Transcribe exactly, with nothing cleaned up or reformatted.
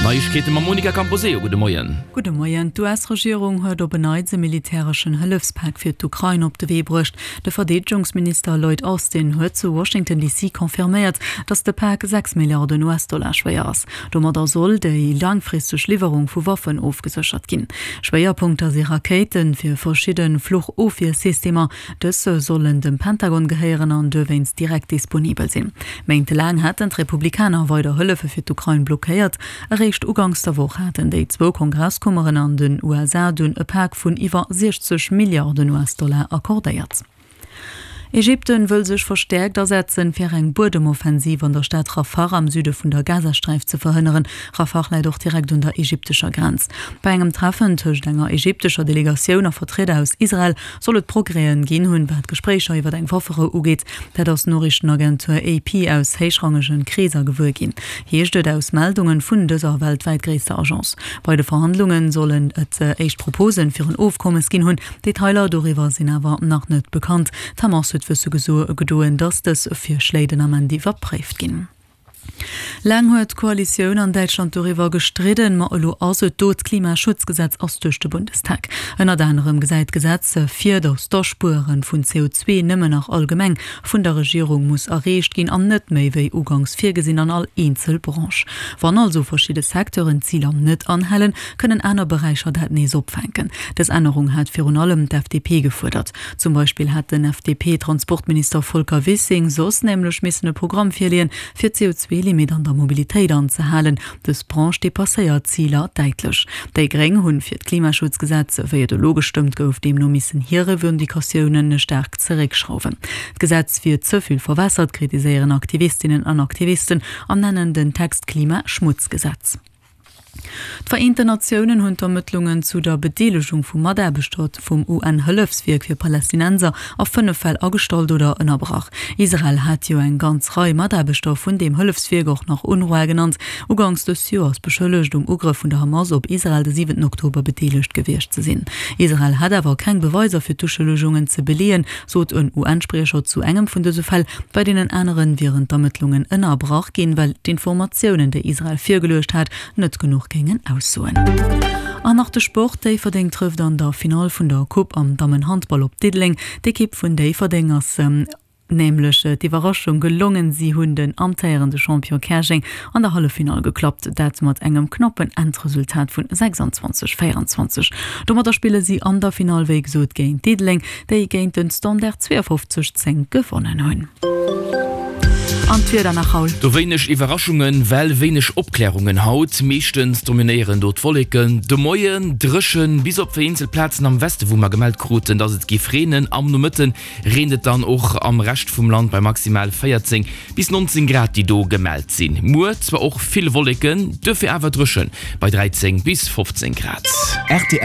Neiegkeete mam Monica Camposeo, Gudde Moien. Gudde Moien. D'US-Regierung huet op en Neits e militäreschen Hëllefspak fir d'Ukrain op de Wee bruecht. De Verdeedegungsminister Lloyd Austin huet zu Washington D C confirméiert, datt de Pak sechs Milliarden U S-Dollar schwéier ass. Domadder soll déi laangfristeg Liwwerung vu Waffen ofgeséchert ginn. Schwéierpunkter si Rakéite fir verschidde Fluchofwiersystemer. Dës sollen dem Pentagon gehéieren an dowéinst direkt disponibel sinn. Méintelaang haten d'Republikaner weider Hëllefe fir d'Ukrain blockéiert. Eréischt uganks der Woch haten déi zwou Kongresskummeren an den U S A dunn e Pak vun iwwer siechzeg Milliarden U S-Dollar accordéiert. Ägypten wëll sech verstäerkt asetzen, fir eng Buedemoffensiv an der Stad Rafah am Süde vun der Gazasträif ze verhënneren. Rafah läit och direkt un der ägyptescher Grenz. Bei engem Treffen tëscht enger ägyptescher Delegatioun a Vertrieder aus Israel soll et Progrèsen ginn hunn, wat d'Gespréicher iwwer eng Wafferou ugeet. Dat ass d'Noriichtenagentur A P aus héichrangege Kreesser gewuer ginn, heescht et aus Meldunge vun dëser weltwäit gréisster Agence. Bei de Verhandlunge sollen et éischt Propose fir en Ofkommes ginn hunn, Detailer doriwwer sinn awer nach net bekannt. D'Hamas huet wësse gedoen, datt dës Virschléi den Ament iwwerpréift ginn. Laang huet d'Koalitioun an Däitschland doriwwer gestridden, ma elo ass et do, D'Klimaschutzgesetz ass duerch de Bundestag. Ënnert anerem gesäit d'Gesetz vir, datt d'Aspuere vun C O zwee nëmmen nach allgemeng vun der Regierung muss erreecht ginn an net méi wéi uganks virgesinn an all eenzel Branche. Wann also verschidde Secteuren d'Ziler net anhalen, kënnen aner Beräicher dat nees opfänken. Dës Ännerung hat virun allem d'F D P gefuerdert. Zum Beispill hat den F D P-Transportminister Volker Wissing soss nämlech missen e Programm virleeën, fir d'C O zwee Limit an der Mobilitéit anzehalen. Dës Branche depasséiert d'Ziler däitlech. Déi Gréng hunn fir d'Klimaschutzgesetz, wéi et elo gestëmmt gouf, deemno missen hir Revendicatiounen staark zeréckschrauwen. D'Gesetz wier ze vill verwässert, kritiséieren Aktivistinnen an Aktivisten an nennen den Text Klimaschmutzgesetz. D'Vereenten Natiounen hunn d'Ermëttlungen zu der Bedeelegung vu Mataarbechter vum U N-Hëllefswierk fir Palästinenser a fënnef Fäll agestallt oder ënnerbrach. Israel hat jo eng ganz Rei Mataarbechter vun deem Hëllefswierk, och nach UNRWA genannt, uganks dës Joers beschëllegt, um Ugrëff vun der Hamas op Israel de siwenten Oktober bedeelegt gewiescht ze sinn. Israel hat awer keng Beweiser fir d'Uschëllegungen ze beleeën, sot en U N-Spriecher zu engem vun dëse Fäll. Bei deenen anere wieren d'Ermëttlungen ënnerbrach ginn, well d'Informatiounen, déi Israel virgeluecht hat, net genuch géingen aussoen. An nach de Sport: Déifferdeng trëfft an der Finall vun der Coupe am Dammenhandball op Diddeleng. D'Ekipp vun Déifferdeng ass nämlech d'Iwwerraschung gelongen, si hunn den amtéierende Champion Käerjeng an der Halleffinall geklappt, dat mat engem knappen Endresultat vun sechsanzwanzeg, véierenzwanzeg. Domadder spille si an der Finall wéi gesot géint Diddeleng, déi géint den Standard zweeafofzeg, zéng gewonnen hunn. An d'Wieder nach haut. Do wéineg Iwwerraschungen, well wéineg Opklärungen haut. Meeschtens dominéieren do d'Wolleken. De Moien dréchen, bis op vereenzelt Plazen am Weste wou mer gemellt kruten, dass et géif reenen. Am Nomëtte reent et dann och am Rescht vum Land bei maximal véierzéng bis nonzéng Grad déi do gemellt sinn. Muer zwar och vill Wolleken, duerfir awer dréchen bei dräizéng bis fofzéng Grad. R T L.